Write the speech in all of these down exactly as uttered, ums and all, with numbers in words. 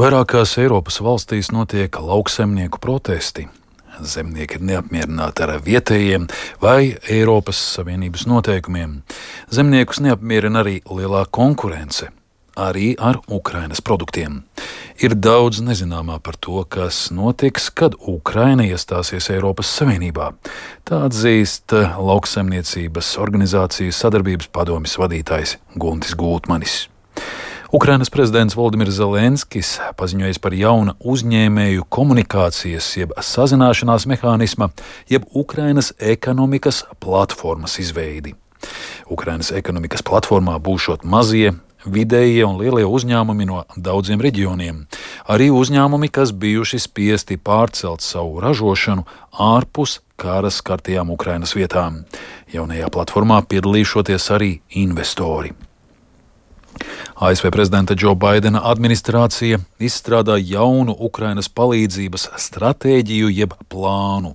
Vairākās Eiropas valstīs notiek lauksaimnieku protesti. Zemnieki ir neapmierināti ar vietējiem vai Eiropas Savienības noteikumiem. Zemniekus neapmierina arī lielā konkurence, arī ar Ukrainas produktiem. Ir daudz nezināmā par to, kas notiks, kad Ukraina iestāsies Eiropas Savienībā. Tā atzīst lauksaimniecības organizācijas sadarbības padomes vadītājs Guntis Gultmanis. Ukrainas prezidents Voldimirs Zelenskis paziņojis par jauna uzņēmēju komunikācijas jeb sazināšanās mehānisma, jeb Ukrainas ekonomikas platformas izveidi. Ukrainas ekonomikas platformā būšot mazie, vidējie un lielie uzņēmumi no daudziem reģioniem. Arī uzņēmumi, kas bijuši spiesti pārcelt savu ražošanu ārpus kara skartajām Ukrainas vietām. Jaunajā platformā piedalīšoties arī investori. A S V prezidenta Džo Baidena administrācija izstrādā jaunu Ukrainas palīdzības stratēģiju jeb plānu.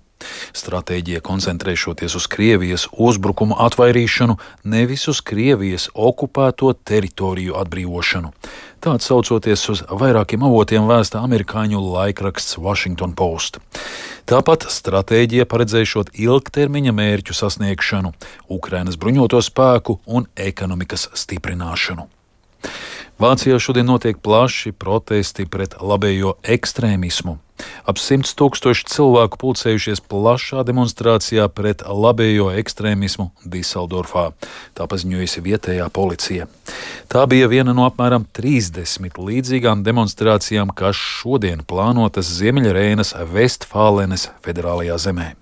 Stratēģija koncentrēšoties uz Krievijas uzbrukumu atvairīšanu, nevis uz Krievijas okupēto teritoriju atbrīvošanu. Tā atsaucoties uz vairākiem avotiem vēsta amerikāņu laikraksts Washington Post. Tāpat stratēģija paredzēšot ilgtermiņa mērķu sasniegšanu, Ukrainas bruņoto spēku un ekonomikas stiprināšanu. Vācijā šodien notiek plaši protesti pret labējo ekstrēmismu. Ap simts tūkstoši cilvēku pulcējušies plašā demonstrācijā pret labējo ekstrēmismu Diseldorfā, tā paziņojusi vietējā policija. Tā bija viena no apmēram trīsdesmit līdzīgām demonstrācijām, kas šodien plānotas Ziemeļreinas Vestfālenes federālajā zemē.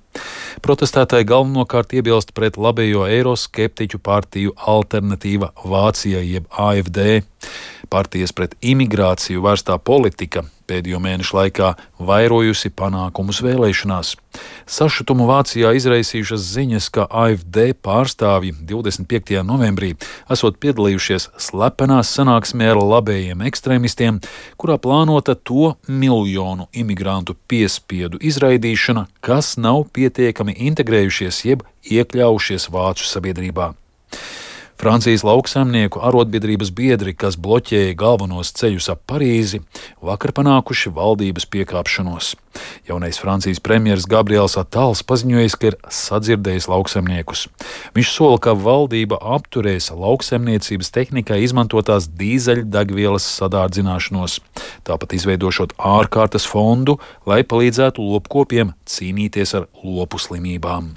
Protestētāji galvenokārt iebilst pret labējo eiroskeptiķu partiju Alternatīva Vācijai jeb A F D. Partijas pret imigrāciju vērstā politika pēdējo mēnešu laikā vairojusi panākumus vēlēšanās. Sašutumu Vācijā izraisījušas ziņas, ka A F D pārstāvji divdesmit piektajā novembrī esot piedalījušies slepenā sanāksmē ar labējiem ekstrēmistiem, kurā plānota to miljonu imigrantu piespiedu izraidīšana, kas nav pietiekami integrējušies jeb iekļaujušies vācu sabiedrībā. Francijas lauksaimnieku arotbiedrības biedri, kas bloķēja galvenos ceļus ap Parīzi, vakar panākuši valdības piekāpšanos. Jaunais Francijas premjeras Gabriels Attals paziņojis, ka ir sadzirdējis lauksaimniekus. Viņš sola, ka valdība apturēs lauksaimniecības tehnikai izmantotās dīzeļdegvielas sadārdzināšanos, tāpat izveidošot ārkārtas fondu, lai palīdzētu lopkopiem cīnīties ar lopu slimībām.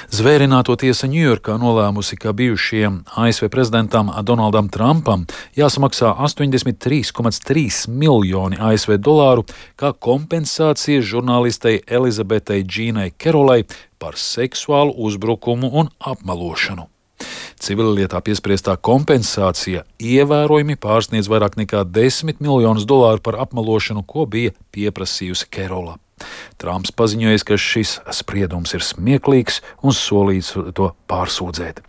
Zvērināto tiesa Ņujorkā nolēmusi, ka bijušajam A S V prezidentam Donaldam Trumpam jāsamaksā astoņdesmit trīs komats trīs miljoni A S V dolāru kā kompensācija žurnālistei Elizabetei Džīnai Kerolai par seksuālu uzbrukumu un apmelošanu. Civillietā piespriestā kompensācija ievērojami pārsniedz vairāk nekā desmit miljonus dolāru par apmelošanu, ko bija pieprasījusi Kerola. Trumps paziņojis, ka šis spriedums ir smieklīgs un solīts to pārsūdzēt.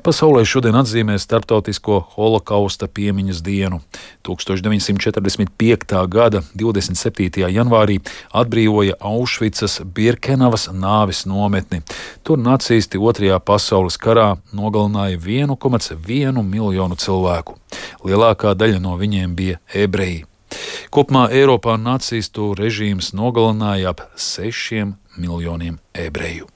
Pasaulē šodien atzīmē Starptautisko holokausta piemiņas dienu. tūkstoš deviņsimt četrdesmit piektā gada divdesmit septītajā janvārī atbrīvoja Aušvicas Birkenavas nāves nometni. Tur nacisti otrajā pasaules karā nogalināja vienu komats vienu miljonu cilvēku. Lielākā daļa no viņiem bija ebreji. Kopumā Eiropā nacistu režīms nogalināja ap sešiem miljoniem ebreju.